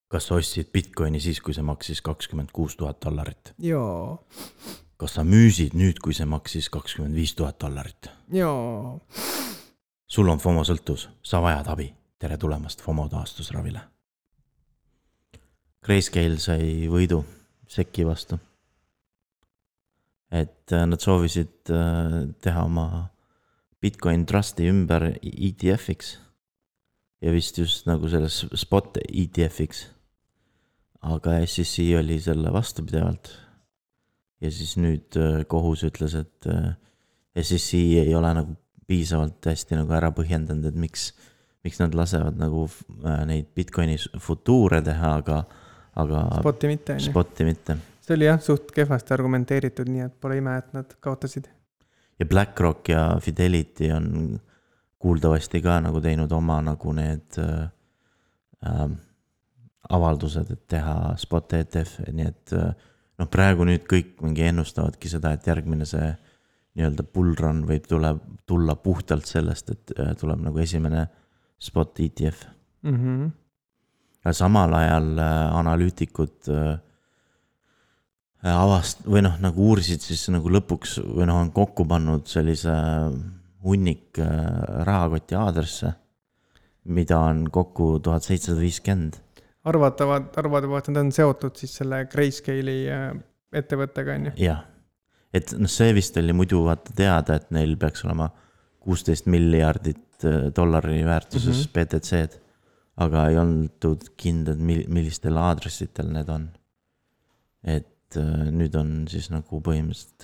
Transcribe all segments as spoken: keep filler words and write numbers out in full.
Kas sa ostsid Bitcoini siis, kui see maksis kakskümmend kuus tuhat dollarit? Jaa. Kas sa müüsid nüüd, kui see maksis kakskümmend viis tuhat dollarit? Jaa. Sul on FOMO sõltus, sa vajad abi. Tere tulemast FOMO taastusravile. Grayscale sai võidu Seki vastu. Et nad soovisid teha oma Bitcoin Trusti ümber E T F-iks ja vist just nagu selles spot E T F-iks. Aga S E C oli selle vastu pidevalt ja siis nüüd kohus ütles, et S E C ei ole nagu piisavalt hästi nagu ära põhjendanud, et miks, miks nad lasevad nagu neid Bitcoini futuure teha, aga, aga Spoti mitte. Spoti mitte. See oli jah suht kehvasti argumenteeritud, nii et pole ime, et nad kaotasid. Ja BlackRock ja Fidelity on kuuldavasti ka nagu teinud oma nagu need äh, avaldused, et teha spot E T F, nii et noh, praegu nüüd kõik mingi ennustavadki seda, et järgmine see nii-öelda bullrun võib tule, tulla puhtalt sellest, et tuleb nagu esimene spot E T F. Mm-hmm. Ja samal ajal analüütikud avast või noh, nagu uurisid siis nagu lõpuks või noh, on kokku pannud sellise hunnik rahakoti aadresse, mida on kokku tuhat seitsesada viiskümmend. Arvatavad, arvatavad, et nad on seotud siis selle Grayscale'i ettevõttega, on ju? Jah, et no see vist oli muidu vaata teada, et neil peaks olema kuusteist miljardit dollari väärtuses mm-hmm. B T C-d, aga ei olnud kindlad, millistel aadressitel need on. Et nüüd on siis nagu põhimõtteliselt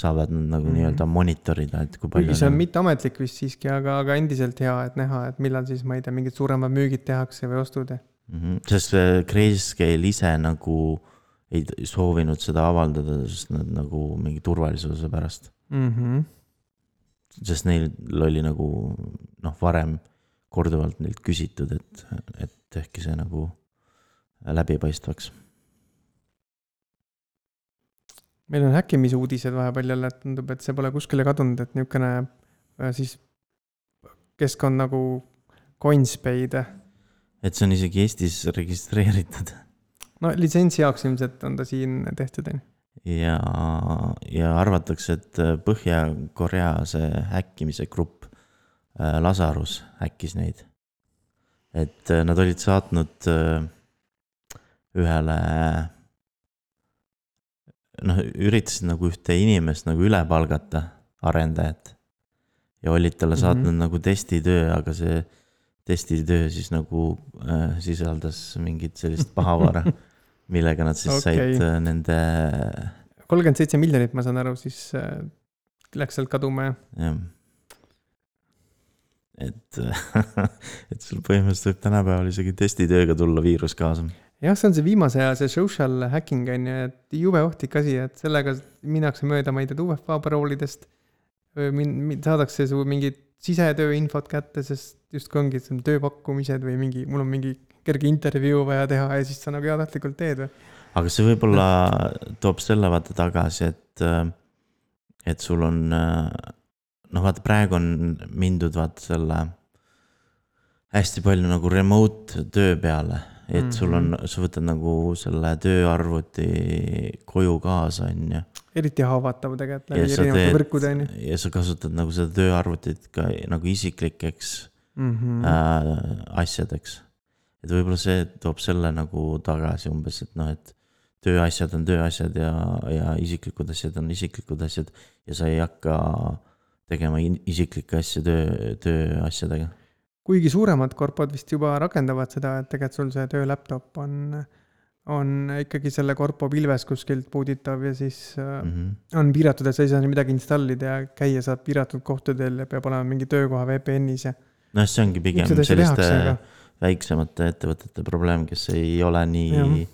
saavad nad nagu mm-hmm. nii-öelda monitorida, et kui palju... See on mitte ametlik vist siiski, aga, aga endiselt hea, et näha, et millal siis, ma ei tea, mingid suuremad müügid tehakse või ostud. Mm-hmm. Sest Grayscale ise nagu ei soovinud seda avaldada, sest nad nagu mingi turvalisuse pärast. Mm-hmm. Sest neil oli nagu noh, varem korduvalt neilt küsitud, et, et ehkki see nagu läbipaistvaks. Meil on häkkimise uudised vahepeal jälle, et tundub, et see pole kuskile kadunud, et niisugune siis keskkond nagu Coinspace. Et see on isegi Eestis registreeritud. No litsentsi jaoks ilmselt on ta siin tehtud. Ja, ja arvatakse, et Põhja-Korea see häkkimise grupp Lazarus häkkis neid. Et nad olid saatnud ühele noh, üritasid nagu ühte inimest nagu üle palgata arendajat ja olid talle saatnud mm-hmm. nagu testitöö, aga see testitöö siis nagu äh, sisaldas mingit sellist pahavara, millega nad siis okay. said äh, nende kolmkümmend seitse miljonit, ma saan aru, siis äh, läks sealt kaduma. Ja. Et, et sul põhimõtteliselt võib tänapäeval isegi testitööga tulla viirus kaasa. Jah, see on see viimase aja, see social hacking on ju, et jube ohtlik asi, et sellega minnakse mööda, ma ei tea, U F A paroolidest, saadakse su mingid sisetöö infot kätte, sest just kui ongi tööpakkumised või mingi, mul on mingi kerge intervjuu vaja teha ja siis sa nagu heatahtlikult teed. Või? Aga see võib-olla toob selle vaata tagasi, et, et sul on, noh vaata praegu on mindud vaata selle hästi palju nagu remote töö peale. Et sul on, sa võtad nagu selle tööarvuti koju kaasa, on ju. Eriti haavatav tegelikult läbi erinevate võrkude, on ju. Ja sa kasutad nagu seda tööarvutit ka nagu isiklikeks mm-hmm. äh, asjadeks. Et võib-olla see toob selle nagu tagasi umbes, et noh, et tööasjad on tööasjad ja, ja isiklikud asjad on isiklikud asjad ja sa ei hakka tegema isiklike asja töö, tööasjadega. Kuigi suuremad korpod vist juba rakendavad seda, et tegelikult sul see töölaptop on, on ikkagi selle korpo pilves kuskilt puuditav ja siis mm-hmm. on piiratud, et sa ei saa midagi installida ja käia saab piiratud kohtadel ja peab olema mingi töökoha V P N-is. Ja... No see ongi pigem selliste tehakse, väiksemate ettevõtete probleem, kes ei ole nii,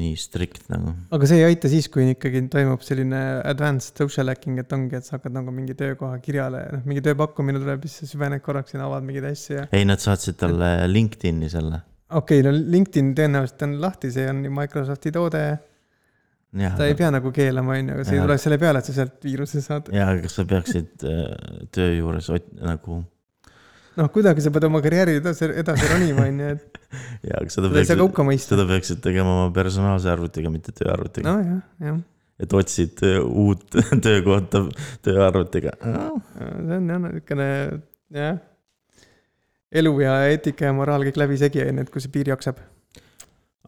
nii strikt nagu. Aga see ei aita siis, kui ikkagi toimub selline advanced social hacking, et ongi, et sa hakkad nagu mingi töökoha kirjale, noh, mingi tööpakkumine tuleb, siis süvened korraks ja avad mingid asja. Ei, nad saatsid talle LinkedIni selle. Okei, okay, no LinkedIn tõenäoliselt on lahti, see on Microsofti toode. Ja, ta ei pea nagu keelama, aga see ei tule selle peale, et sa sealt viiruse saad. Ja, aga sa peaksid töö juures nagu... noh, kuidagi sa pead oma karjääri edasi, edasi ronima, on ju, et ja, aga seda, seda ei saa peaksid, kauka mõista. seda peaksid tegema oma personaalse arvutiga, mitte tööarvutiga. No jah, jah. Et otsid uut töökohta tööarvutiga. See on jah, niisugune, jah, elu ja eetika ja moraal kõik läbi segi, et kui see piir jaksab.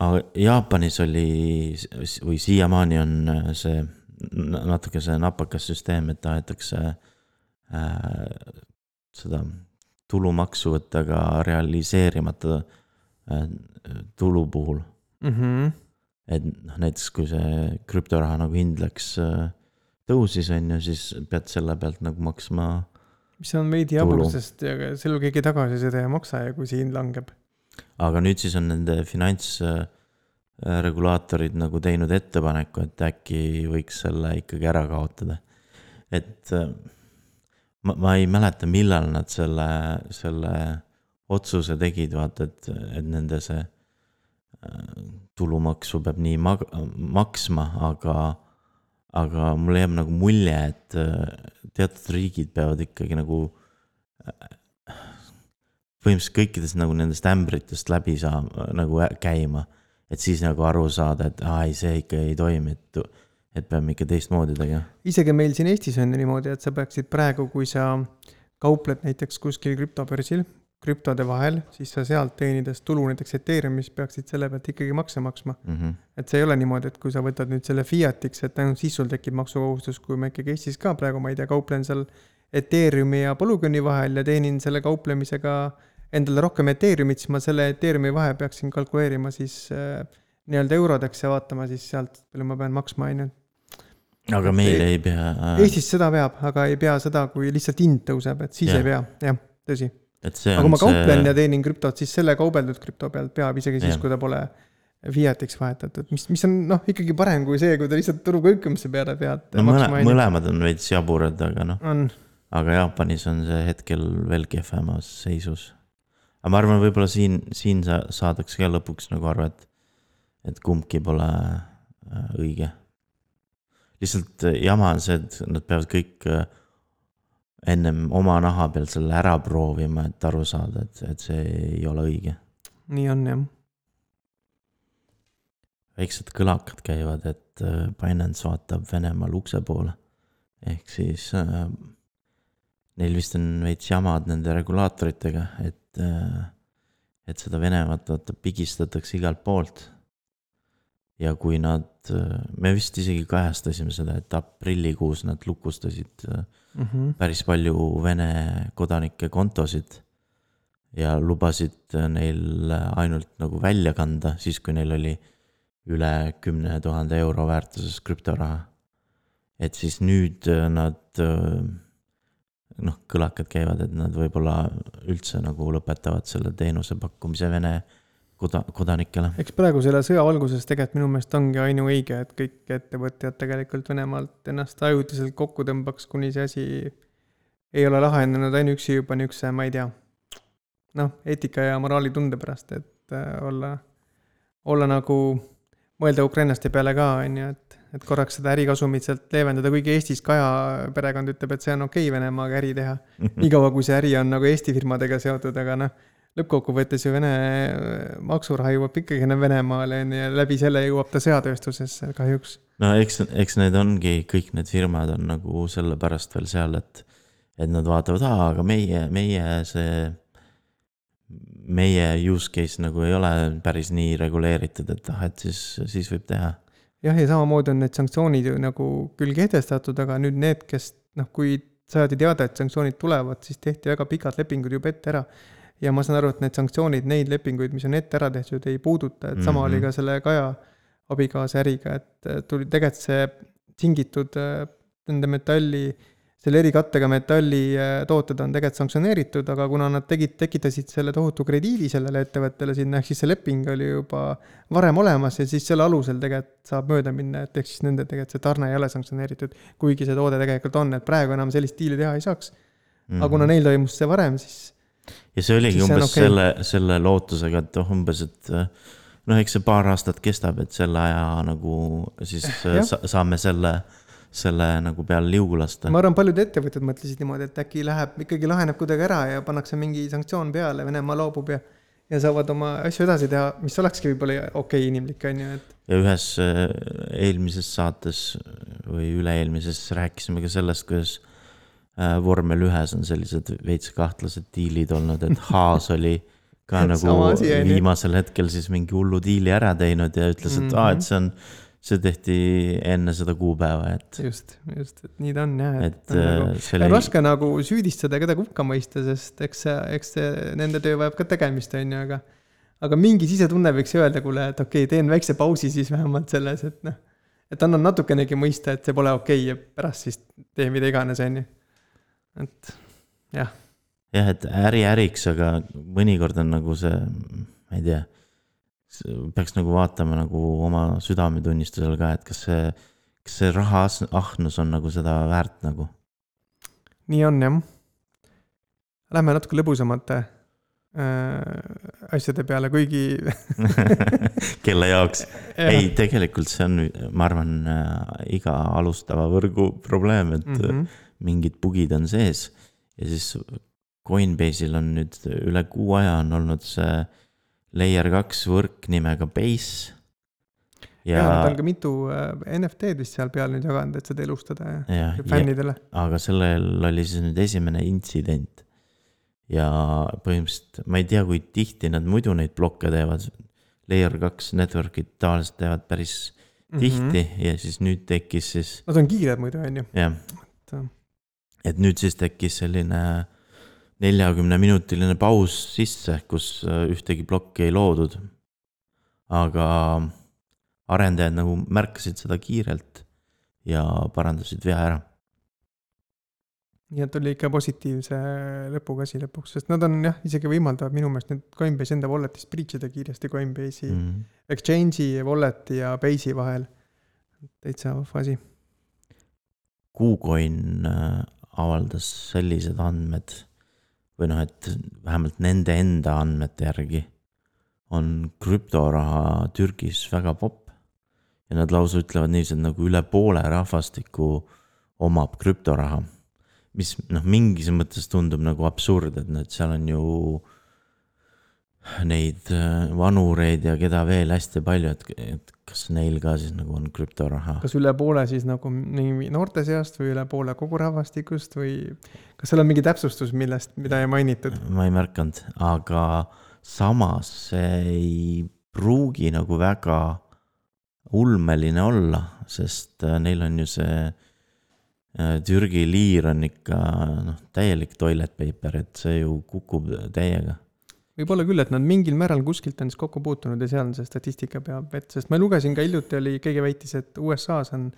Aga Jaapanis oli, või siiamaani on see natuke see napakas süsteem, et tahetakse äh, seda tulumaksu võtta ka realiseerimata äh, tulu puhul. Mhm. Et näiteks kui see krüptoraha nagu hind läks tõusis, on ju, siis pead selle pealt nagu maksma mis on veidi jabur, sest selle keegi tagasi seda ei maksa ja kui see hind langeb. Aga nüüd siis on nende finantsregulaatorid nagu teinud ettepaneku, et äkki võiks selle ikkagi ära kaotada. Et ma, ma ei mäleta, millal nad selle, selle otsuse tegid, vaata, et, et nende see tulumaksu peab nii mag- maksma, aga, aga mulle jääb nagu mulje, et teatud riigid peavad ikkagi nagu põhimõtteliselt kõikidest nagu nendest ämbritest läbi saa, nagu käima, et siis nagu aru saada, et aa, ei, see ikka ei toimi, et, et peame ikka teistmoodi tegema. Isegi meil siin Eestis on niimoodi, et sa peaksid praegu, kui sa kaupled näiteks kuskil krüptobörsil, krüptode vahel, siis sa sealt teenides tulu näiteks Ethereumis peaksid selle pealt ikkagi makse maksma. Mm-hmm. Et see ei ole niimoodi, et kui sa võtad nüüd selle fiatiks, et ainult siis sul tekib maksukohustus, kui ma ikkagi Eestis ka praegu, ma ei tea, kauplen seal Ethereumi ja Polygoni vahel ja teenin selle kauplemisega endale rohkem Ethereumit, siis ma selle Ethereumi vahe peaksin kalkuleerima siis äh, nii-öelda eurodeks ja vaatama siis sealt, palju ma pean maksma ainult. Aga meil ei pea... Eestis seda peab, aga ei pea seda, kui lihtsalt hind tõuseb, et siis ja. Ei pea, jah, tõsi. aga kui ma kauplen see... ja teenin krüptot, siis selle kaubeldud krüpto pealt peab isegi siis, ja. Kui ta pole fiatiks vahetatud, mis, mis on noh, ikkagi parem kui see, kui ta lihtsalt turu kõikumise peale pead no, maksma. Mõle, mõlemad on veits jaburad, aga noh, on. Aga Jaapanis on see hetkel veel kehvemas seisus. Aga ma arvan, võib-olla siin, siin sa, saadaks ka lõpuks nagu aru, et, et kumbki pole õige. Lihtsalt jama on see, et nad peavad kõik ennem oma naha peal selle ära proovima, et aru saada, et, et see ei ole õige. Nii on, jah. Väiksed kõlakad käivad, et Binance vaatab Venemaal ukse poole. Ehk siis äh, neil vist on veits jamad nende regulaatoritega, et, äh, et seda Venemaad vaata pigistatakse igalt poolt. Ja kui nad, me vist isegi kajastasime seda, et aprillikuus nad lukustasid mm-hmm. päris palju Vene kodanike kontosid ja lubasid neil ainult nagu välja kanda, siis kui neil oli üle kümne tuhande euro väärtuses krüptoraha. Et siis nüüd nad, noh, kõlakad käivad, et nad võib-olla üldse nagu lõpetavad selle teenuse pakkumise Vene kodanikele. Eks praegu selle sõja valguses tegelikult minu meelest ongi ainu õige, et kõik ettevõtjad tegelikult Venemaalt ennast ajutiselt kokku tõmbaks, kuni see asi ei ole lahendanud ainuüksi juba niisuguse, ma ei tea, noh, eetika ja moraali tunde pärast, et olla, olla nagu mõelda Ukrainaste peale ka, on ju, et, et korraks seda ärikasumit sealt leevendada, kuigi Eestis Kaja perekond ütleb, et see on okei Venemaaga äri teha. Nii kaua, kui see äri on nagu Eesti firmadega seotud, aga noh, lõppkokkuvõttes ju Vene maksuraha jõuab ikkagi Venemaale ja läbi selle jõuab ta sõjatööstusesse kahjuks. No eks, eks need ongi, kõik need firmad on nagu selle pärast veel seal, et, et nad vaatavad, aa, aga meie, meie see, meie use case nagu ei ole päris nii reguleeritud, et, ah, et siis, siis võib teha. Jah, ja samamoodi on need sanktsioonid ju nagu küll kehtestatud, aga nüüd need, kes, noh, kui saadi teada, et sanktsioonid tulevad, siis tehti väga pikad lepingud juba ette ära. Ja ma saan aru, et need sanktsioonid, neid lepinguid, mis on ette ära tehtud, ei puuduta, et sama mm-hmm. oli ka selle Kaja abikaasa äriga, et tuli tegelikult see tingitud nende metalli, selle erikattega metalli tooted on tegelikult sanktsioneeritud, aga kuna nad tegid, tekitasid selle tohutu krediidi sellele ettevõttele sinna, ehk siis see leping oli juba varem olemas ja siis selle alusel tegelikult saab mööda minna, et ehk siis nende tegelikult see tarne ei ole sanktsioneeritud, kuigi see toode tegelikult on, et praegu enam sellist diili teha ei saaks. Mm-hmm. Aga kuna neil toimus see varem, siis ja see oligi umbes okay. selle, selle lootusega, et umbes, et noh, eks see paar aastat kestab, et selle aja nagu siis sa, saame selle, selle nagu peale liugu lasta. ma arvan, paljud ettevõtted mõtlesid niimoodi, et äkki läheb, ikkagi laheneb kuidagi ära ja pannakse mingi sanktsioon peale, Venemaa loobub ja, ja saavad oma asju edasi teha, mis olekski võib-olla okei okay, inimlik, on ju, et. Ja ühes eelmises saates või üle-eelmises rääkisime ka sellest, kuidas vormel ühes on sellised veits kahtlased diilid olnud, et Haas oli ka nagu asi, viimasel hetkel siis mingi hullu diili ära teinud ja ütles, et mm -hmm. aa, et see on see tehti enne seda kuupäeva, et just, just, et nii ta on jah, et, et nagu, selle... raske nagu süüdistada kedagi hukka mõista, sest eks see, eks see nende töö vajab ka tegemist, on ju, aga aga mingi sisetunne võiks öelda, kuule, et okei, teen väikse pausi siis vähemalt selles, et noh, et annan natukenegi mõista, et see pole okei ja pärast siis tee mida iganes, on ju, et jah. jah, et äri äriks, aga mõnikord on nagu see, ma ei tea, peaks nagu vaatama nagu oma südametunnistusel ka, et kas see, kas see raha ahnus on nagu seda väärt nagu. Nii on, jah. Lähme natuke lõbusamate äh, asjade peale, kuigi kelle jaoks. Ei, tegelikult see on, ma arvan, iga alustava võrgu probleem, et mm -hmm. mingid bugid on sees ja siis Coinbase'il on nüüd üle kuu aja on olnud see Layer kaks võrk nimega Base. Ja, ja nad on ka mitu N F T-d vist seal peal nüüd jaganud, et seda elustada ja, ja fännidele. Aga sellel oli siis nüüd esimene intsident. Ja põhimõtteliselt, ma ei tea, kui tihti nad muidu neid blokke teevad. Layer kaks networkid tavaliselt teevad päris tihti mm -hmm. ja siis nüüd tekkis siis... Nad on kiired muidu, on ju. Jah. Et, et nüüd siis tekkis selline... neljakümne minutiline paus sisse, kus ühtegi blokki ei loodud. Aga arendajad nagu märkasid seda kiirelt ja parandasid vea ära. Nii et oli ikka positiivse lõpuga asi lõpuks, sest nad on jah, isegi võimaldavad minu meelest nüüd Coinbase enda walletist breach'ida kiiresti Coinbase'i mm. Exchange'i, walleti ja Base'i vahel. Täitsa fasi. KuCoin avaldas sellised andmed või noh, et vähemalt nende enda andmete järgi on krüptoraha Türgis väga popp ja nad lausa ütlevad niiviisi, et nagu üle poole rahvastiku omab krüptoraha, mis noh, mingis mõttes tundub nagu absurd, et need seal on ju neid vanureid ja keda veel hästi palju, et, et kas neil ka siis nagu on krüptoraha. Kas üle poole siis nagu noorte seast või üle poole kogu rahvastikust või kas seal on mingi täpsustus, millest, mida ei mainitud? Ma ei märkanud, aga samas see ei pruugi nagu väga ulmeline olla, sest neil on ju see Türgi liir on ikka noh, täielik toilet paper, et see ju kukub täiega. Võib-olla küll, et nad mingil määral kuskilt on siis kokku puutunud ja seal on see statistika peab, et sest ma lugesin ka hiljuti oli, keegi väitis, et U S A-s on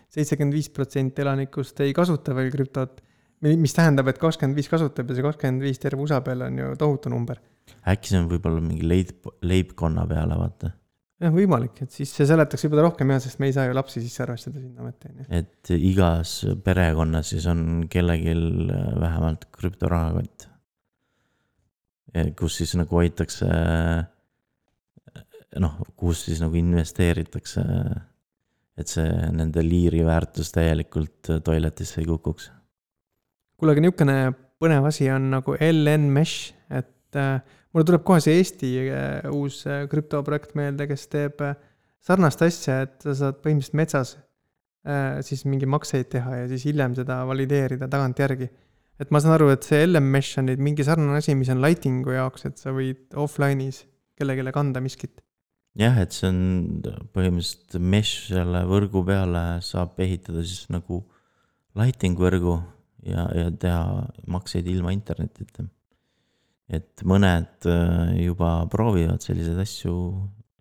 seitsekümmend viis protsenti elanikust ei kasuta veel krüptot, mis tähendab, et kakskümmend viis kasutab ja see kakskümmend viis terve U S A peal on ju tohutu number. Äkki see on võib-olla mingi leib, leibkonna peale, vaata. Jah, võimalik, et siis see seletaks võib-olla rohkem jah, sest me ei saa ju lapsi sisse arvestada sinna mõtte. Et igas perekonnas siis on kellegil vähemalt krüptorahakott, kus siis nagu hoitakse, noh, kus siis nagu investeeritakse, et see nende liiri väärtus täielikult toiletisse ei kukuks. Kuule, aga niisugune põnev asi on nagu L N Mesh, et äh, mulle tuleb kohe see Eesti äh, uus äh, krüptoprojekt meelde, kes teeb äh, sarnast asja, et sa saad põhimõtteliselt metsas äh, siis mingi makseid teha ja siis hiljem seda valideerida tagant järgi. Et ma saan aru, et see L M Mesh on mingi sarnane asi, mis on lightingu jaoks, et sa võid offline'is kellelegi kanda miskit. Jah, et see on põhimõtteliselt mesh selle võrgu peale saab ehitada siis nagu lighting võrgu ja, ja teha makseid ilma internetita. Et mõned juba proovivad selliseid asju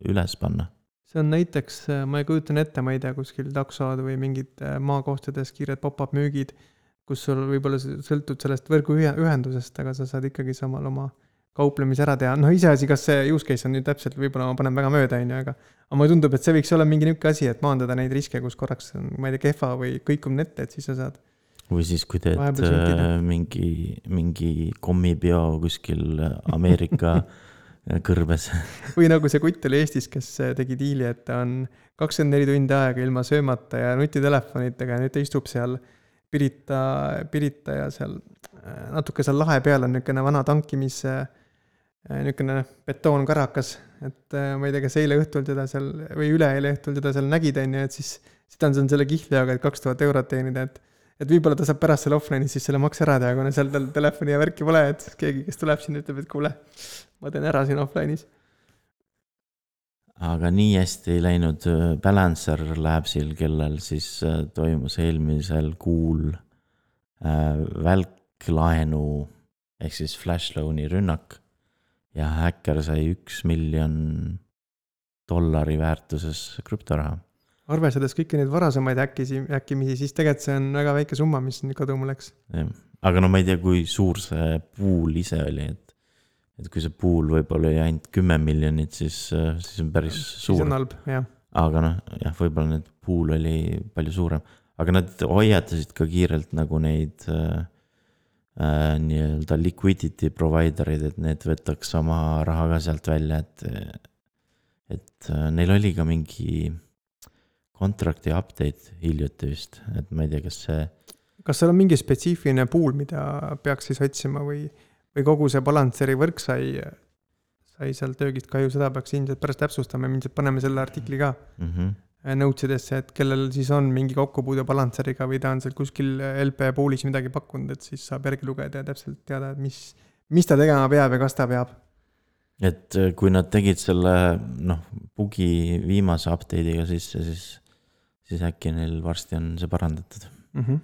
üles panna. See on näiteks, ma ei kujutan ette, ma ei tea, kuskil taksod või mingid maakohtades kiired pop-up müügid, kus sul võib-olla sõltud sellest võrgu ühendusest, aga sa saad ikkagi samal oma kauplemise ära teha. No iseasi, kas see use case on nüüd täpselt, võib-olla ma panen väga mööda, aga, aga mulle tundub, et see võiks olla mingi niisugune asi, et maandada neid riske, kus korraks on, ma ei tea, kehva või kõikum nette, et siis sa saad. Või siis, kui teed mingi, mingi kommibio kuskil Ameerika kõrbes. Või nagu see kutt oli Eestis, kes tegi diili, et ta on kakskümmend neli tundi aega ilma söömata ja nutitelefonitega ja nüüd ta istub seal Pirita, Pirita ja seal natuke seal lahe peal on niisugune vana tankimis, niisugune betoonkarakas, et ma ei tea, kas eile õhtul teda seal või üle eile õhtul teda seal nägid, et siis seda on selle kihljaga, et kaks tuhat eurot teenida, et et võib-olla ta saab pärast selle offline'is siis selle maks ära teha, kuna seal tal telefoni ja värki pole, et keegi, kes tuleb siin, ütleb, et kuule, ma teen ära siin offline'is. Aga nii hästi ei läinud Balancer Labsil, kellel siis toimus eelmisel kuul välklaenu ehk siis flash loan'i rünnak ja häkker sai üks miljon dollari väärtuses krüptoraha. Arvestades kõiki neid varasemaid äkkisi, äkkimisi, siis tegelikult see on väga väike summa, mis kaduma läks. Aga no ma ei tea, kui suur see pool ise oli, et, et kui see pool võib-olla oli ainult kümme miljonit, siis, siis on päris suur. Siis on halb, jah. Aga noh, jah, võib-olla need pool oli palju suurem. Aga nad hoiatasid ka kiirelt nagu neid äh, nii-öelda liquidity providerid, et need võtaks oma raha ka sealt välja, et, et neil oli ka mingi kontrakti update hiljuti vist, et ma ei tea, kas see... Kas seal on mingi spetsiifiline pool, mida peaks siis otsima või, või kogu see Balanceri võrk sai, sai seal töögist kahju, seda peaks ilmselt pärast täpsustama, ilmselt paneme selle artikli ka mm-hmm. notesidesse, et kellel siis on mingi kokkupuude Balanceriga või ta on seal kuskil L P poolis midagi pakkunud, et siis saab järgi lugeda ja täpselt teada, et mis, mis ta tegema peab ja kas ta peab. Et kui nad tegid selle noh, bugi viimase update'iga sisse, siis siis äkki neil varsti on see parandatud. Mm-hmm.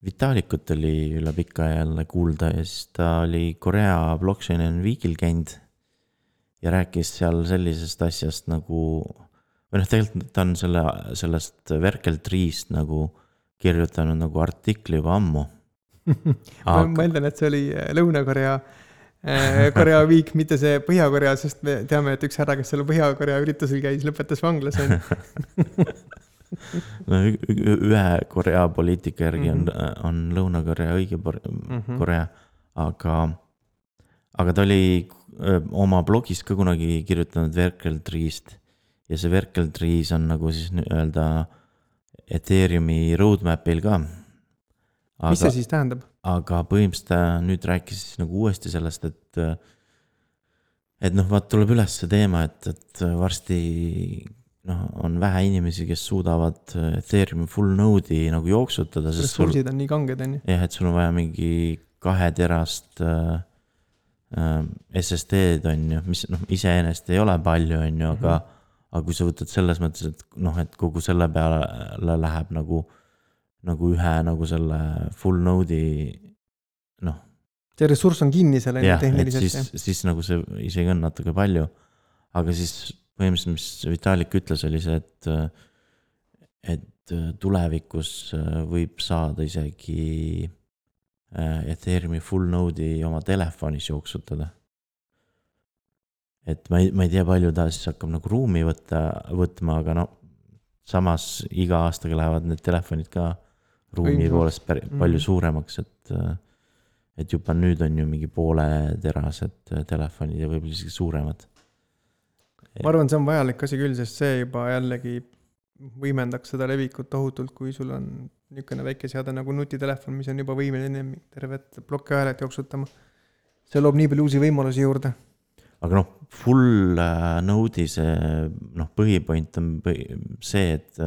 Vitalikut oli üle pika jälle kuulda ja siis ta oli Korea Blockchain and Weekil käinud ja rääkis seal sellisest asjast nagu, või noh, tegelikult ta on selle, sellest Verkel Tree'st nagu kirjutanud nagu artikli juba ammu. Aga... ma mõeldan, et see oli Lõuna-Korea Korea Week, mitte see Põhja-Korea, sest me teame, et üks härra, kes selle Põhja-Korea üritusel käis, lõpetas vanglas. no, ühe Korea poliitika järgi on, on Lõuna-Korea õige Korea, aga, aga ta oli oma blogis ka kunagi kirjutanud Verkel Tree'st ja see Verkel Tree's on nagu siis öelda Ethereumi roadmapil ka. Aga, mis see siis tähendab? Aga põhimõtteliselt nüüd rääkis nagu uuesti sellest, et et noh, vaat tuleb üles see teema, et, et varsti noh, on vähe inimesi, kes suudavad Ethereumi full node'i nagu jooksutada. Ressursid on nii kanged, on ju? Jah, et sul on vaja mingi kahe terast äh, S S D-d on ju, mis noh, iseenesest ei ole palju on ju, aga, mm-hmm. aga kui sa võtad selles mõttes, et noh, et kogu selle peale läheb nagu nagu ühe nagu selle full node'i noh. See ressurss on kinni selle jah, tehniliselt. Et siis, siis nagu see isegi on natuke palju, aga siis põhimõtteliselt, mis Vitalik ütles, oli see, et et tulevikus võib saada isegi Ethereumi full node'i oma telefonis jooksutada. Et ma ei, ma ei tea, palju ta siis hakkab nagu ruumi võtta, võtma, aga no samas iga aastaga lähevad need telefonid ka ruumi poolest päri, palju suuremaks, et, et juba nüüd on ju mingi poole terased telefonid ja võib-olla isegi suuremad. Ma arvan, see on vajalik asi küll, sest see juba jällegi võimendaks seda levikut tohutult, kui sul on niisugune väike seade nagu nutitelefon, mis on juba võimeline tervet plokki ajalet jooksutama. See loob nii palju uusi võimalusi juurde. Aga noh, full node'i see noh, põhipoint on põhi, see, et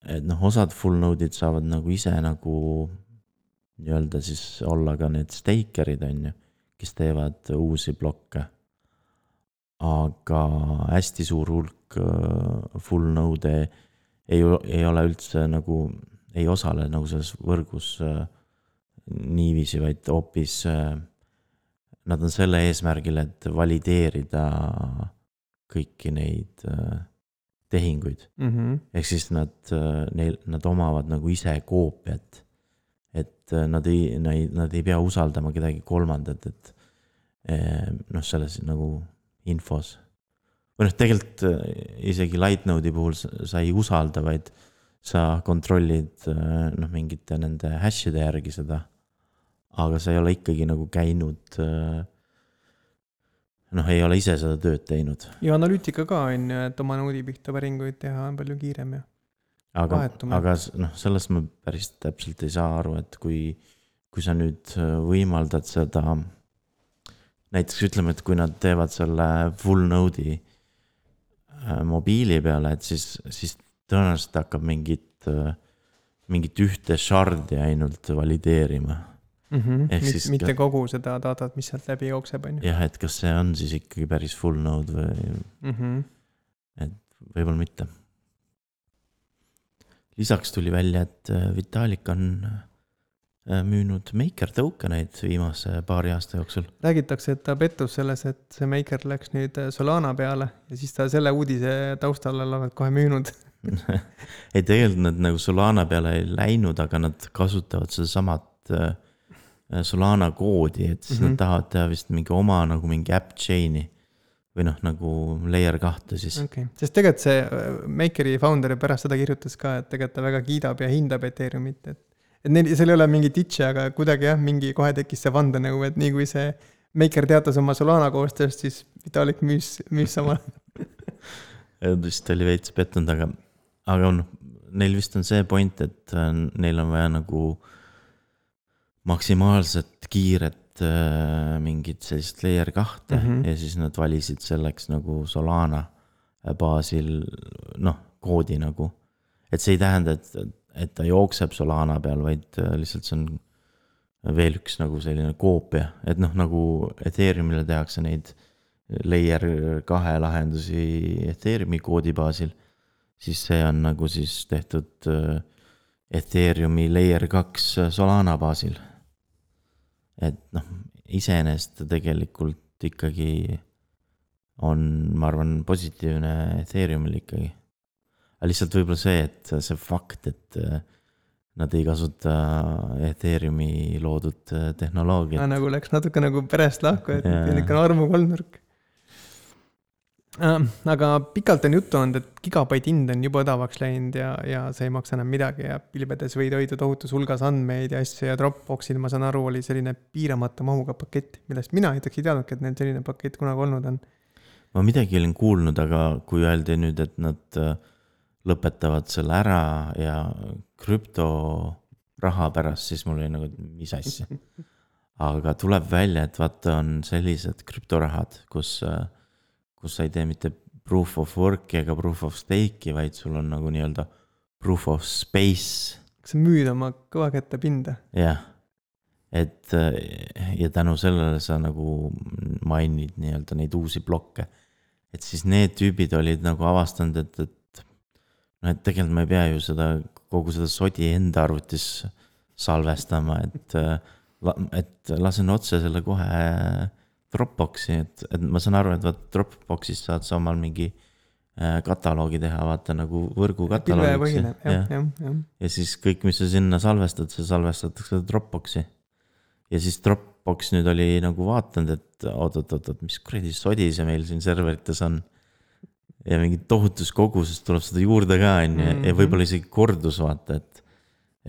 et noh, osad full node'id saavad nagu ise nagu nii-öelda siis olla ka need stakerid on ju, kes teevad uusi blokke. Aga hästi suur hulk full node ei, ei ole üldse nagu, ei osale nagu selles võrgus niiviisi, vaid hoopis nad on selle eesmärgil, et valideerida kõiki neid tehinguid. Mm-hmm. Ehk siis nad, neil, nad omavad nagu ise koopiat, et nad ei, nad ei pea usaldama kedagi kolmandat, et noh, selles nagu infos. Või noh, tegelikult isegi Lightnode'i puhul sa ei usalda, vaid sa kontrollid noh, mingite nende hashide järgi seda, aga sa ei ole ikkagi nagu käinud noh, ei ole ise seda tööd teinud. ja analüütika ka on ju, et oma noodi pihta päringuid teha on palju kiirem ja aga, vahetume. aga noh, sellest ma päris täpselt ei saa aru, et kui, kui sa nüüd võimaldad seda, näiteks ütleme, et kui nad teevad selle full node'i mobiili peale, et siis, siis tõenäoliselt hakkab mingit, mingit ühte shardi ainult valideerima. Mm-hmm. Mit, mitte ka, kogu seda datat, mis sealt läbi jookseb, on ju. jah, et kas see on siis ikkagi päris full node või mm-hmm. et võib-olla mitte. Lisaks tuli välja, et Vitalik on müünud Maker tokeneid viimase paari aasta jooksul. Räägitakse, et ta pettus selles, et see Maker läks nüüd Solana peale ja siis ta selle uudise taustal olevat kohe müünud. ei, tegelikult nad nagu Solana peale ei läinud, aga nad kasutavad seda samat Solana koodi, et siis mm-hmm. nad tahavad teha vist mingi oma nagu mingi app chain'i või noh, nagu layer kahte siis. Okay. Sest tegelikult see Makeri founder pärast seda kirjutas ka, et tegelikult ta väga kiidab ja hindab Ethereumit, et et neil, seal ei ole mingi ditše, aga kuidagi jah, mingi kohe tekkis see vandenõu, et nii kui see Maker teatas oma Solana koostööst, siis Vitalik müüs, müüs sama. vist oli veits pettunud, aga, aga on, neil vist on see point, et neil on vaja nagu maksimaalselt kiiret äh, mingit sellist layer kahte mm-hmm. ja siis nad valisid selleks nagu Solana baasil, noh, koodi nagu. Et see ei tähenda, et et ta jookseb Solana peal, vaid lihtsalt see on veel üks nagu selline koopia, et noh, nagu Ethereumile tehakse neid layer kahe lahendusi Ethereumi koodi baasil, siis see on nagu siis tehtud Ethereumi layer kaks Solana baasil. Et noh, iseenesest tegelikult ikkagi on, ma arvan, positiivne Ethereumil ikkagi. Lihtsalt võib-olla see, et see fakt, et nad ei kasuta Ethereumi loodud tehnoloogiat. Nagu läks natuke nagu perest lahku, et ikka armu kolmnurk. Aga pikalt on juttu olnud, et gigabait hind on juba odavaks läinud ja, ja see ei maksa enam midagi ja pilvedes võid hoida tohutus hulgas andmeid ja asju ja Dropboxil, ma saan aru, oli selline piiramata mahuga pakett, millest mina näiteks ei teadnudki, et neil selline pakett kunagi olnud on. Ma midagi olin kuulnud, aga kui öeldi nüüd, et nad lõpetavad selle ära ja krüptoraha pärast, siis mul oli nagu, mis asja. Aga tuleb välja, et vaata on sellised krüptorahad, kus, kus sa ei tee mitte proof of work'i ega proof of stake'i, vaid sul on nagu nii-öelda proof of space. Kas sa müüd oma kõva kätte pinda? Jah, et ja tänu sellele sa nagu mainid nii-öelda neid uusi blokke. Et siis need tüübid olid nagu avastanud, et, et no et tegelikult ma ei pea ju seda, kogu seda sodi enda arvutis salvestama, et, et lasen otse selle kohe Dropboxi, et, et ma saan aru, et vaat Dropboxis saad sa omal mingi kataloogi teha, vaata nagu võrgu kataloogiks. Ja, ja, ja, ja. ja siis kõik, mis sa sinna salvestad, see salvestatakse Dropboxi. Ja siis Dropbox nüüd oli nagu vaatanud, et oot, oot, oot, oot, mis kuradi sodi see meil siin serverites on. Ja mingi tohutus kogusest tuleb seda juurde ka, mm-hmm. ja võib-olla isegi kordus vaata, et,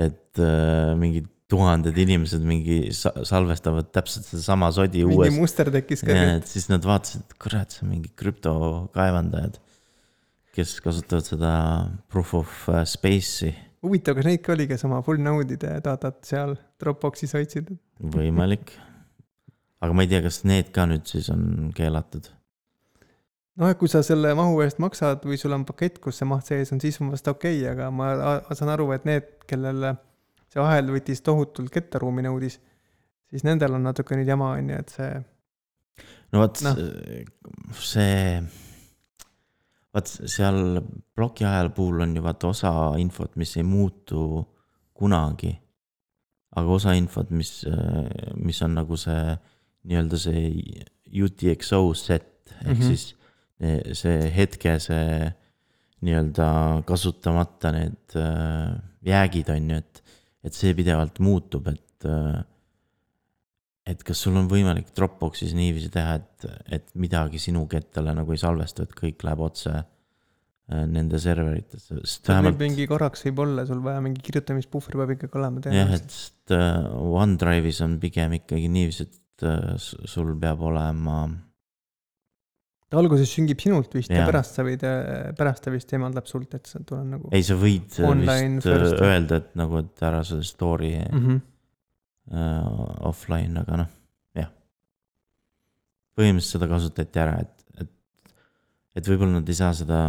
et äh, mingid tuhanded inimesed mingi salvestavad täpselt seda sama sodi mingi uues. Mingi muster tekkis ka. Ja, et siis nad vaatasid, et kurat, see on mingi krüptokaevandajad, kes kasutavad seda proof of space'i. Huvitav, kas neid ka oli, kes oma full node'ide datat seal Dropboxis hoidsid? Võimalik. Aga ma ei tea, kas need ka nüüd siis on keelatud. No, kui sa selle mahu eest maksad või sul on pakett, kus see maht sees on, siis on vast okei, okay, aga ma saan aru, et need, kellel see ahel võttis tohutult kettaruumi nõudis, siis nendel on natuke nüüd jama, on ju, et see... No vaat no. see... Vaat seal bloki ajal puhul on ju vaata osa infot, mis ei muutu kunagi, aga osa infot, mis, mis on nagu see nii-öelda see U T X O set, ehk mm-hmm. siis see hetke, see nii-öelda kasutamata need jäägid on ju, et, et see pidevalt muutub, et, et kas sul on võimalik Dropboxis niiviisi teha, et, et midagi sinu kettale nagu ei salvestu, et kõik läheb otse nende serveritesse. Vähemalt... mingi korraks võib olla, sul vaja mingi kirjutamispuhver peab ikkagi olema. Jah, et OneDrive'is on pigem ikkagi niiviisi, et sul peab olema ta alguses süngib sinult vist ja, Jaa. ja pärast sa võid, pärast ta vist eemaldab sult, et sa tuleb nagu ei, sa võid Online vist first. öelda, et nagu, et ära seda story mm -hmm. uh, offline, aga noh, jah. Põhimõtteliselt seda kasutati ära, et, et, et võib-olla nad ei saa seda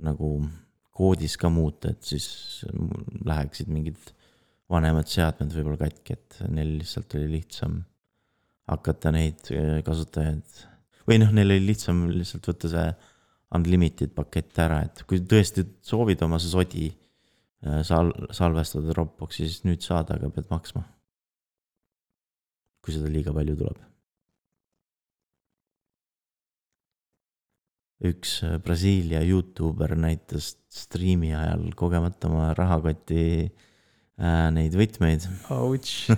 nagu koodis ka muuta, et siis läheksid mingid vanemad seadmed võib-olla katki, et neil lihtsalt oli lihtsam hakata neid kasutajaid või noh, neil oli lihtsam lihtsalt võtta see unlimited pakett ära, et kui tõesti soovid oma see sodi sal- salvestada Dropboxi, siis nüüd saad, aga pead maksma. Kui seda liiga palju tuleb. Üks Brasiilia YouTuber näitas striimi ajal kogemata oma rahakoti äh, neid võtmeid. Ouch.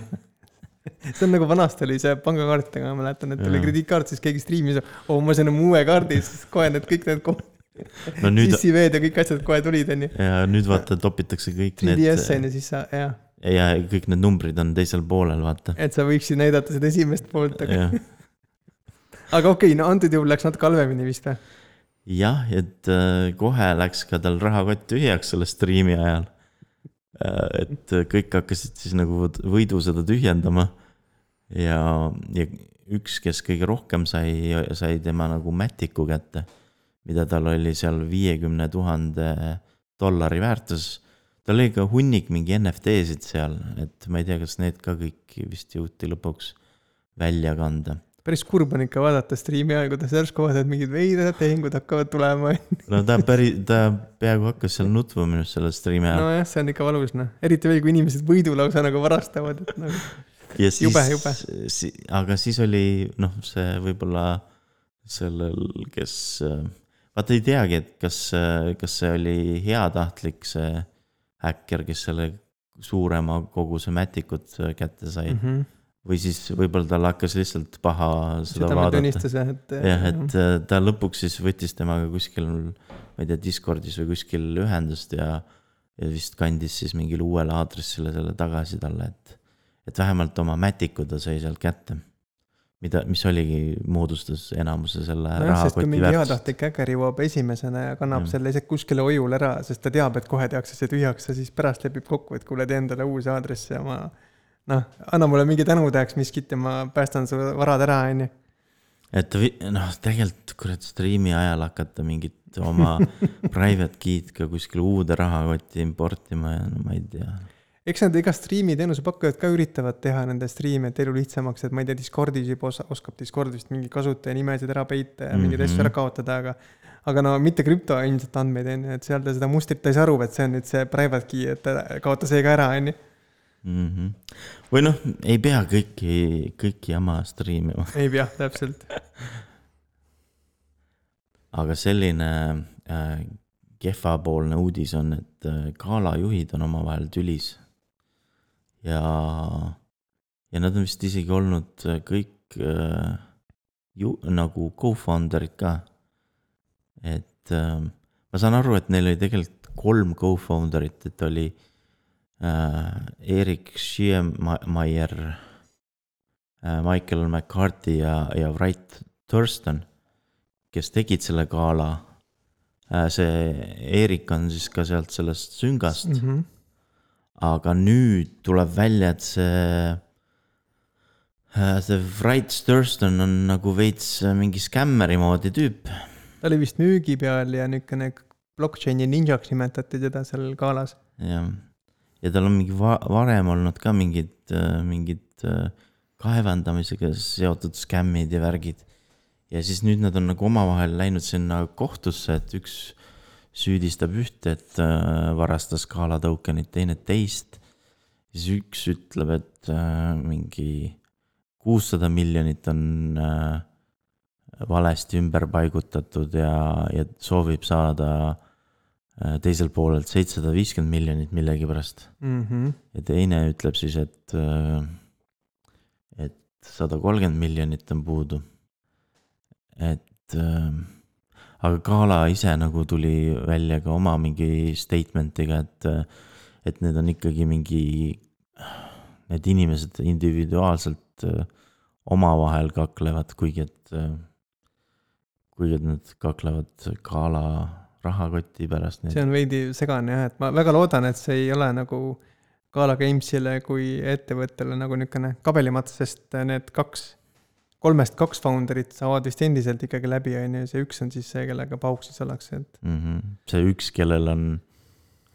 See on nagu vanasti oli see pangakaartidega, ma mäletan, et oli krediitkaart, siis keegi striimis, oh, ma sain uue kaardi, siis kohe need kõik need kohe, no nüüd... sissived ja kõik asjad kohe tulid, on ju. Ja nüüd vaata, topitakse kõik need... три ди эс on ja siis sa, jah. Ja kõik need numbrid on teisel poolel, vaata. Et sa võiksid näidata seda esimest poolt, aga... aga okei, no antud juhul läks natuke halvemini vist või? Jah, et kohe läks ka tal rahakott tühjaks selle striimi ajal. Et kõik hakkasid siis nagu võidu seda tühjendama ja, ja üks, kes kõige rohkem sai, sai tema nagu Matiku kätte, mida tal oli seal viiekümne tuhande dollari väärtus. Tal oli ka hunnik mingi N F T-sid seal, et ma ei tea, kas need ka kõik vist jõuti lõpuks välja kanda. Päris kurb on ikka vaadata striimi ajal, kuidas järsku vaadata, et mingid veidad tehingud hakkavad tulema. No ta, päri, ta peaaegu hakkas seal nutva minust selle striimi ajal. No jah, see on ikka valus, noh. Eriti veel, kui inimesed võidulausa nagu varastavad. Et nagu... ja siis, jube, jube. Si, aga siis oli, noh, see võib-olla sellel, kes... Vaata ei teagi, et kas, kas see oli heatahtlik see häkker, kes selle suurema koguse Matikut kätte sai. Mm-hmm. Või siis võib-olla tal hakkas lihtsalt paha seda, seda vaadata. Et, jah, et ta lõpuks siis võttis temaga kuskil, ma ei tea, Discordis või kuskil ühendust ja, ja vist kandis siis mingile uuele aadressile selle tagasi talle, et, et vähemalt oma Matiku ta sai sealt kätte, mida, mis oligi moodustas enamuse selle no, rahakoti väärtust. Sest kui mingi heatahtlik häkker jõuab esimesena ja kannab ja. Selle isegi kuskile ojul ära, sest ta teab, et kohe tehakse see tühjaks ja siis pärast lepib kokku, et kuule tee endale uus aadress ja ma... noh, anna mulle mingi tänudajaks miskit ja ma päästan su varad ära, on ju. Et noh, tegelikult kurat striimi ajal hakata mingit oma private key'd ka kuskil uude rahakotti importima ja no ma ei tea. Eks nad iga striimi teenuse pakkujad ka üritavad teha nende striime, et elu lihtsamaks, et ma ei tea, Discordis juba oskab Discordist mingi kasutaja nimesid ära peita ja mm-hmm. mingid asju ära kaotada, aga aga no mitte krüpto ilmselt andmeid, et seal ta seda mustrit ta ei saa aru, et see on nüüd see private key, et kaota see ka ära, on ju. Mm-hmm. Või noh, ei pea kõiki, kõiki jama striimima. Ei pea, täpselt. Aga selline äh, kehvapoolne uudis on, et äh, gaalajuhid on omavahel tülis. Ja, ja nad on vist isegi olnud kõik äh, ju, nagu co-founderid ka. Et äh, ma saan aru, et neil oli tegelikult kolm co-founderit, et oli Uh, Erik Schiemeyer, uh, Michael McCarthy ja, ja Wright Thurston, kes tegid selle gaala. Uh, see Erik on siis ka sealt sellest süngast. Mm-hmm. Aga nüüd tuleb välja, et see, uh, see Wright Thurston on nagu veits mingi skämmeri moodi tüüp. Ta oli vist müügi peal ja nükene blockchaini ninjaks nimetati teda seal gaalas. Jah. Ja tal on mingi va- varem olnud ka mingid, mingid kaevandamisega seotud skämmid ja värgid. Ja siis nüüd nad on nagu omavahel läinud sinna kohtusse, et üks süüdistab ühte, et varastas gaala tokenit, teine teist. Siis üks ütleb, et mingi kuussada miljonit on valesti ümber paigutatud ja, ja soovib saada teisel poolelt seitsesada viiskümmend miljonit millegi pärast. Mm-hmm. Ja teine ütleb siis, et, et sada kolmkümmend miljonit on puudu. Et, aga gaala ise nagu tuli välja ka oma mingi statementiga, et, et need on ikkagi mingi, need inimesed individuaalselt omavahel kaklevad, kuigi et kuigi nad kaklevad Gala rahakoti pärast. see on veidi segane jah, et ma väga loodan, et see ei ole nagu Gala Gamesile kui ettevõttele nagu niisugune kabelimats, sest need kaks, kolmest kaks founderit saavad vist endiselt ikkagi läbi, on ju, see üks on siis see, kellega pauk siis ollakse. Et... Mm-hmm. See üks, kellel on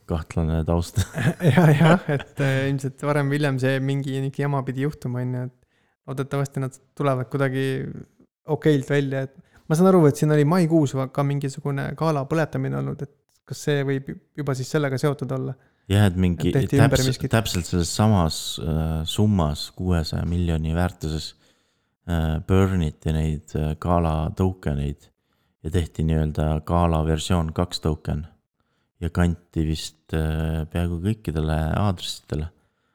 kahtlane taust. ja, jah, et ilmselt varem või hiljem see mingi jama pidi juhtuma, on ju, et loodetavasti nad tulevad kuidagi okeilt välja, et ma saan aru, et siin oli maikuus ka mingisugune Gala põletamine olnud, et kas see võib juba siis sellega seotud olla? Jah, et mingi et täpselt, täpselt selles samas äh, summas kuuesaja miljoni väärtuses äh, burniti neid äh, Gala tokeneid ja tehti nii-öelda Gala versioon kaks token ja kanti vist äh, peaaegu kõikidele aadressidele,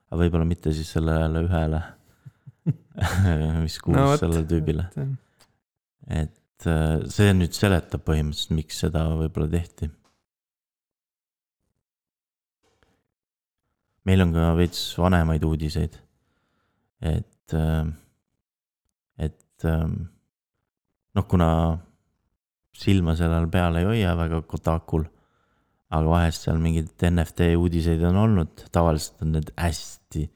aga võib-olla mitte siis sellele ühele, mis kuulus no, sellele tüübile. Et see nüüd seletab põhimõtteliselt, miks seda võib-olla tehti. Meil on ka veits vanemaid uudiseid, et, et noh, kuna silma sellel peale ei hoia väga Kotakul, aga vahest seal mingid N F T uudiseid on olnud, tavaliselt on need hästi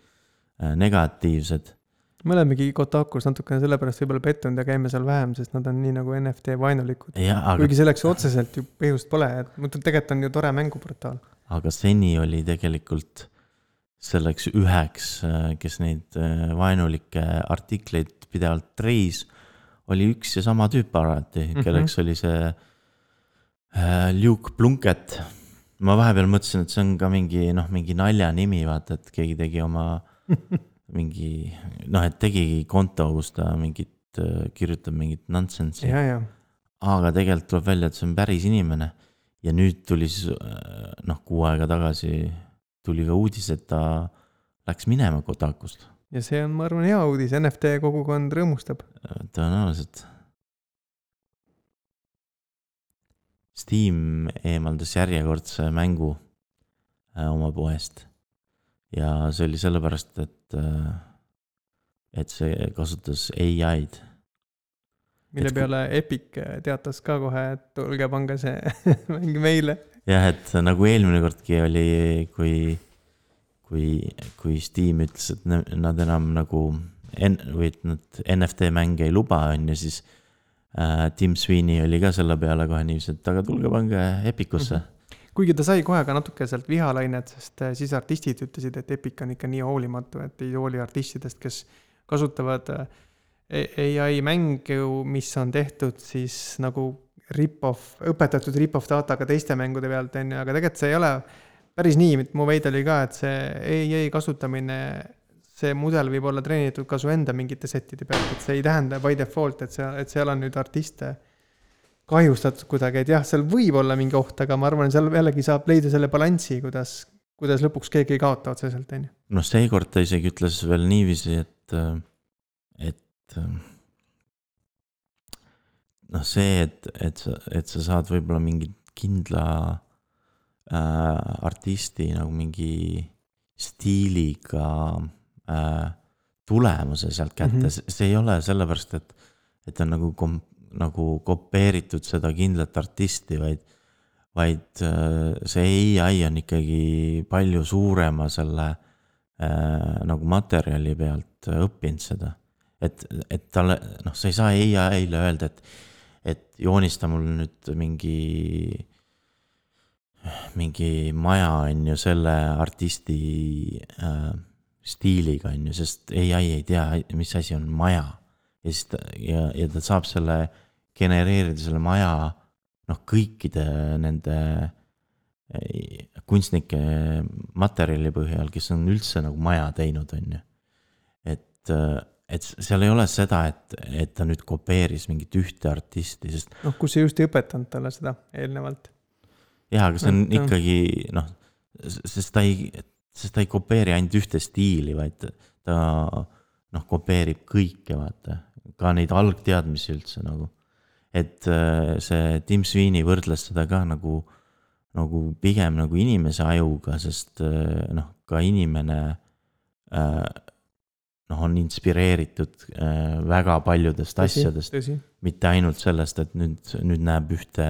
negatiivsed. Me olemegi Kotakus natukene sellepärast võib-olla pettunud ja käime seal vähem, sest nad on nii nagu N F T vaenulikud. Ja, aga... Kuigi selleks otseselt ju põhjust pole, et mõtled, tegelikult on ju tore mänguportaal. Aga seni oli tegelikult selleks üheks, kes neid vaenulikke artikleid pidevalt treis, oli üks ja sama tüüp alati, kelleks mm-hmm. oli see Luke Plunkett. Ma vahepeal mõtlesin, et see on ka mingi, noh, mingi nalja nimi, vaata, et keegi tegi oma... mingi, noh, et tegigi konto, kus ta mingit, kirjutab mingit nonsensi. Ja, ja. Aga tegelikult tuleb välja, et see on päris inimene. Ja nüüd tuli siis, noh, kuu aega tagasi tuli ka uudis, et ta läks minema Kotakust. Ja see on, ma arvan, hea uudis. N F T kogukond rõõmustab. Tõenäoliselt. Steam eemaldas järjekordse mängu oma poest. Ja see oli sellepärast, et, et see kasutas A I-d. Mille et peale Epic teatas ka kohe, et tulge pange see mäng meile. Jah, et nagu eelmine kordki oli, kui, kui, kui Steam ütles, et nad enam nagu või et nad N F T mänge ei luba, on ja siis äh, Tim Sweeney oli ka selle peale kohe niiviisi, et aga tulge pange Epicusse. Mm-hmm. Kuigi ta sai kohe ka natuke sealt vihalainet, sest siis artistid ütlesid, et Epic on ikka nii hoolimatu, et ei hooli artistidest, kes kasutavad A I mängu, mis on tehtud siis nagu rip-off, õpetatud rip-off dataga teiste mängude pealt, aga tegelikult see ei ole päris nii, mu veid oli ka, et see A I kasutamine, see mudel võib olla treenitud ka su enda mingite settide pealt, et see ei tähenda by default, et, see, et seal on nüüd artiste kahjustatud kuidagi, et jah, seal võib olla mingi oht, aga ma arvan, seal jällegi saab leida selle balanssi, kuidas, kuidas lõpuks keegi ei kaota otseselt. No seekord ta isegi ütles veel niiviisi, et, et noh see, et, et, sa, et sa saad võib-olla mingi kindla äh, artisti nagu mingi stiiliga äh, tulemuse sealt kätte, mm-hmm. see ei ole sellepärast, et, et on nagu kom- nagu kopeeritud seda kindlat artisti, vaid, vaid see A I on ikkagi palju suurema selle äh, nagu materjali pealt õppinud seda. Et, et talle, noh, sa ei saa A I-le öelda, et, et joonista mul nüüd mingi, mingi maja on ju selle artisti äh, stiiliga on ju, sest A I ei tea, mis asi on maja. Ja, siis ta, ja, ja ta saab selle genereerida selle maja noh, kõikide nende kunstnike materjali põhjal, kes on üldse nagu maja teinud, on ju. Et, et seal ei ole seda, et, et ta nüüd kopeeris mingit ühte artisti, sest noh, kus see just ei õpetanud talle seda eelnevalt. Jah, aga see on et, ikkagi noh, sest ta ei, sest ta ei kopeeri ainult ühte stiili, vaid ta noh, kopeerib kõike, vaata, ka neid algteadmisi üldse nagu. Et see Tim Sweeney võrdles seda ka nagu, nagu pigem nagu inimese ajuga, sest noh, ka inimene äh, noh, on inspireeritud äh, väga paljudest Tõsi, asjadest, tõsi. mitte ainult sellest, et nüüd, nüüd näeb ühte,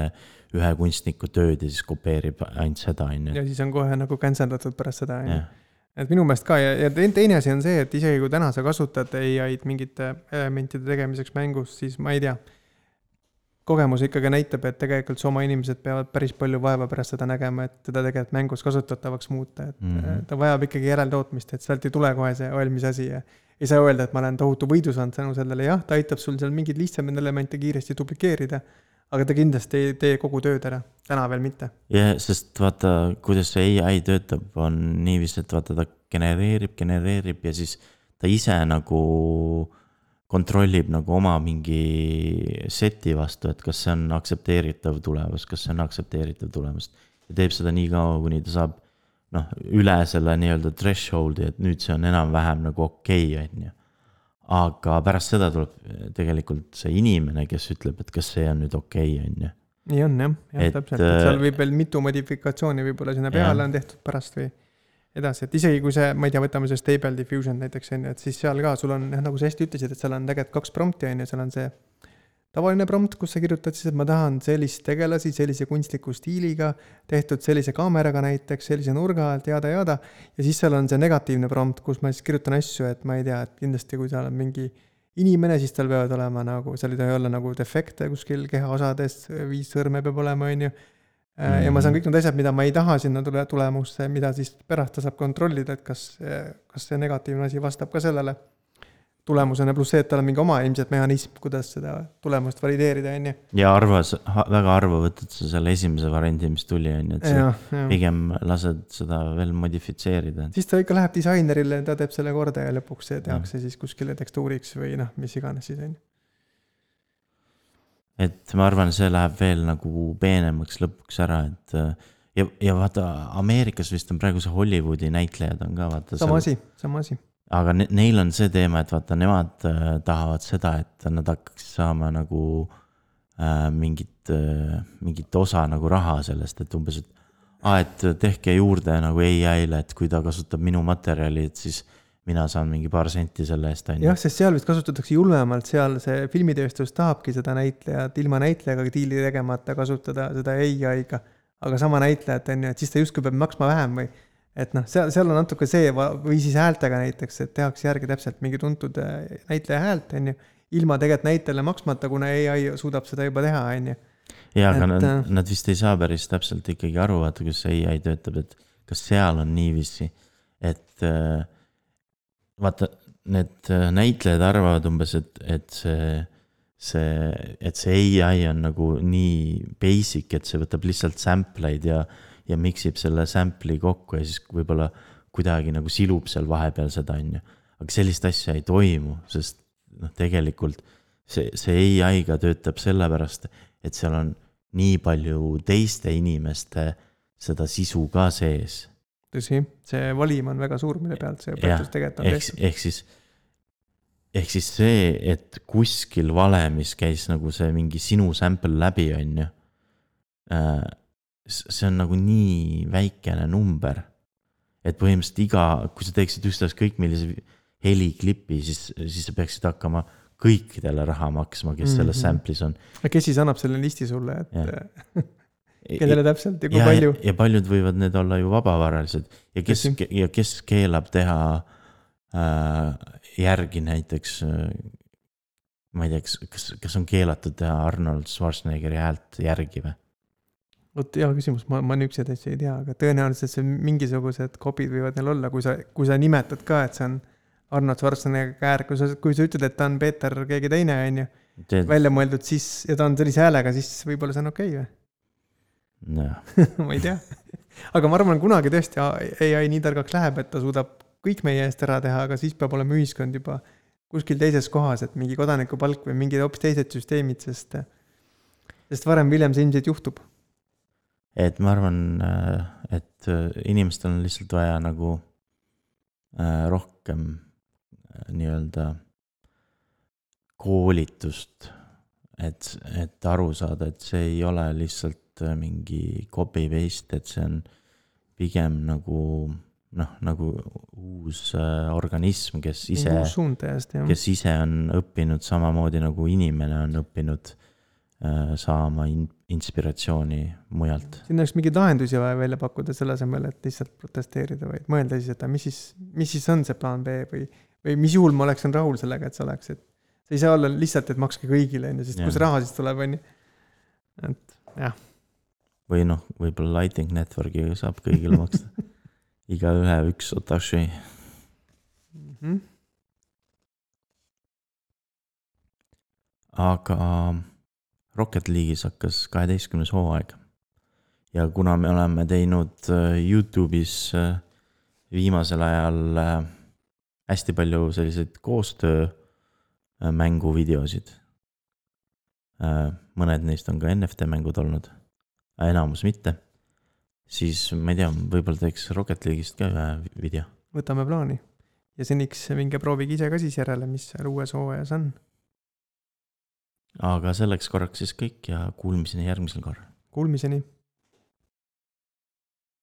ühe kunstniku tööd ja siis kopeerib ainult seda, on ju. Ja siis on kohe nagu canceldatud pärast seda, on ju. Jah. Et minu meelest ka, ja, ja teine asi on see, et isegi kui täna sa kasutad A I-d mingite elementide tegemiseks mängus, siis ma ei tea, kogemus ikkagi näitab, et tegelikult su oma inimesed peavad päris palju vaeva pärast seda nägema, et teda tegelikult mängus kasutatavaks muuta, et Mhm. mm-hmm. ta vajab ikkagi järeltootmist, et sealt ei tule kohe see valmis asi ja ei saa öelda, et ma olen tohutu võidu saanud tänu sellele, jah, ta aitab sul seal mingid lihtsamaid elemente kiiresti duplikeerida, aga ta kindlasti ei tee kogu tööd ära, täna veel mitte. Ja, sest vaata, kuidas see A I töötab, on niiviisi, et vaata, ta genereerib, genereerib ja siis ta ise nagu kontrollib nagu oma mingi seti vastu, et kas see on aktsepteeritav tulemus, kas see on aktsepteeritav tulemus. Ja teeb seda nii kaua, kuni ta saab noh, üle selle nii-öelda thresholdi, et nüüd see on enam-vähem nagu okei, on ju. Aga pärast seda tuleb tegelikult see inimene, kes ütleb, et kas see on nüüd okei, on ju. Nii on jah, jah Et, täpselt, et seal võib veel mitu modifikatsiooni võib-olla sinna peale jah. On tehtud pärast või edasi, et isegi kui see, ma ei tea, võtame see Stable Diffusion näiteks, et siis seal ka sul on, nagu sa hästi ütlesid, et seal on tegelikult kaks prompti, on ju, seal on see tavaline prompt, kus sa kirjutad siis, et ma tahan sellist tegelasi, sellise kunstliku stiiliga, tehtud sellise kaameraga näiteks, sellise nurga alt, jada, jada, ja siis seal on see negatiivne prompt, kus ma siis kirjutan asju, et ma ei tea, et kindlasti kui seal on mingi inimene, siis tal peavad olema nagu, seal ei tohi olla nagu defekte kuskil kehaosades, viis sõrme peab olema, on ju. Ja ma saan kõik need asjad, mida ma ei taha sinna tule tulemusse, mida siis pärast ta saab kontrollida, et kas, kas see negatiivne asi vastab ka sellele tulemusena, pluss see, et tal on mingi oma ilmselt mehhanism, kuidas seda tulemust valideerida, on ju. Ja arvas, väga arva võtad sa selle esimese variandi, mis tuli, on ju, et ja, ja. pigem lased seda veel modifitseerida. Siis ta ikka läheb disainerile, ta teeb selle korda ja lõpuks see tehakse ja. Siis kuskile tekstuuriks või noh, mis iganes siis, on ju. Et ma arvan, see läheb veel nagu peenemaks lõpuks ära, et ja, ja vaata, Ameerikas vist on praegu see Hollywoodi näitlejad on ka, vaata. Sama asi, sama asi. Aga ne, neil on see teema, et vaata, nemad äh, tahavad seda, et nad hakkaks saama nagu äh, mingit, äh, mingit osa nagu raha sellest, et umbes, et, ah, et tehke juurde nagu A I-le, et kui ta kasutab minu materjali, et siis mina saan mingi paar senti selle eest. Jah, sest seal vist kasutatakse julmemalt, seal see filmitööstus tahabki seda näitlejat ilma näitlejaga diili tegemata kasutada seda A I-ga, aga sama näitlejat on ju, et siis ta justkui peab maksma vähem või et noh, seal, seal on natuke see või siis häältega näiteks, et tehakse järgi täpselt mingi tuntud näitleja häält, on ju, ilma tegelikult näitele maksmata, kuna A I suudab seda juba teha, on ju. Ja, aga et, nad, nad vist ei saa päris täpselt ikkagi aru, vaata, kus A I töötab, et kas seal on niiviisi, et vaata, need näitlejad arvavad umbes, et, et see, see, et see A I on nagu nii basic, et see võtab lihtsalt sampleid ja, ja miksib selle sample'i kokku ja siis võib-olla kuidagi nagu silub seal vahepeal seda, on ju. Aga sellist asja ei toimu, sest noh, tegelikult see, see A I-ga töötab sellepärast, et seal on nii palju teiste inimeste seda sisu ka sees. Tõsi, see valim on väga suur, mille pealt see õpetus tegelikult on tehtud. Ehk siis, ehk siis see, et kuskil valemis käis nagu see mingi sinu sample läbi, on ju. See on nagu nii väikene number, et põhimõtteliselt iga, kui sa teeksid üksteist kõik millise heliklipi, siis, siis sa peaksid hakkama kõikidele raha maksma, kes mm-hmm. selles sample'is on. Kes siis annab selle listi sulle, et kellele täpselt ja kui ja, palju. Ja, ja paljud võivad need olla ju vabavaralised ja kes, ja kes keelab teha äh, järgi näiteks, äh, ma ei tea, kas, kas on keelatud teha Arnold Schwarzeneggeri häält järgi või? Vot hea küsimus, ma, ma nüksed asja ei tea, aga tõenäoliselt see mingisugused kopid võivad neil olla, kui sa, kui sa nimetad ka, et see on Arnold Schwarzenegger käär, kui sa, kui sa ütled, et ta on Peeter keegi teine, on ju, Teed... välja mõeldud, siis, ja ta on sellise häälega, siis võib-olla see on okei või? No. ma ei tea. Aga ma arvan, kunagi tõesti A I nii targaks läheb, et ta suudab kõik meie eest ära teha, aga siis peab olema ühiskond juba kuskil teises kohas, et mingi kodanikupalk või mingid hoopis teised süsteemid, sest, sest varem William see ilmselt juhtub. Et ma arvan, et inimestel on lihtsalt vaja nagu rohkem nii-öelda koolitust, et, et aru saada, et see ei ole lihtsalt mingi copy-paste, et see on pigem nagu noh, nagu uus äh, organism, kes ise, uus suund täiesti, jah. kes ise on õppinud samamoodi nagu inimene on õppinud äh, saama in, inspiratsiooni mujalt. Siin oleks mingeid lahendusi vaja välja pakkuda selle asemel, et lihtsalt protesteerida, vaid mõelda siis, et mis siis, mis siis on see plaan B või, või mis juhul ma oleksin rahul sellega, et see oleks, et see ei saa olla lihtsalt, et makske kõigile, sest ja. Kus raha siis tuleb, on ju. Et jah. Või noh, võib-olla Lightning Networkiga saab kõigile maksta. Iga ühe üks Satoshi. Mm-hmm. Aga Rocket League'is hakkas kaheteistkümnes hooaeg. Ja kuna me oleme teinud YouTube'is viimasel ajal hästi palju selliseid koostöö mänguvideosid. Mõned neist on ka N F T mängud olnud, enamus mitte. Siis ma ei tea, võib-olla teeks Rocket League'ist ka ühe video. Võtame plaani. Ja seniks minge proovige ise ka siis järele, mis seal uues hooajas on. Aga selleks korraks siis kõik ja kuulmiseni järgmisel korral. Kuulmiseni.